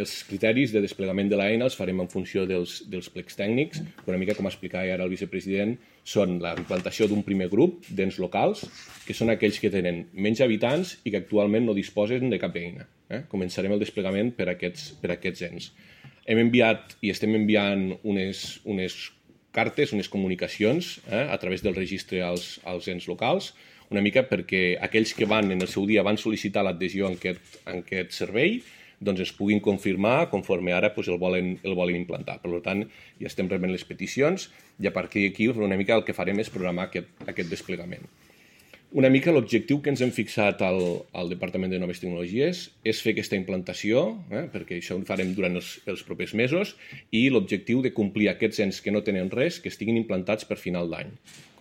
Els criteris de desplegament de l'eina els farem en funció dels plecs tècnics, que una mica com explicava ara el vicepresident, són la implantació d'un primer grup d'ens locals, que són aquells que tenen menys habitants i que actualment no disposen de cap eina. Començarem el desplegament per aquests ens. Hem enviat i estem enviant unes cartes, unes comunicacions a través del registre als ens locals, una mica perquè aquells que en el seu dia van sol·licitar l'adhesió en aquest servei doncs ens puguin confirmar conforme ara el volen implantar. Per tant, ja estem rebent les peticions i a partir d'aquí una mica el que farem és programar aquest desplegament. Una mica l'objectiu que ens hem fixat al Departament de Noves Tecnologies és fer aquesta implantació, perquè això ho farem durant els propers mesos, i l'objectiu de complir aquests ens que no tenen res, que estiguin implantats per final d'any.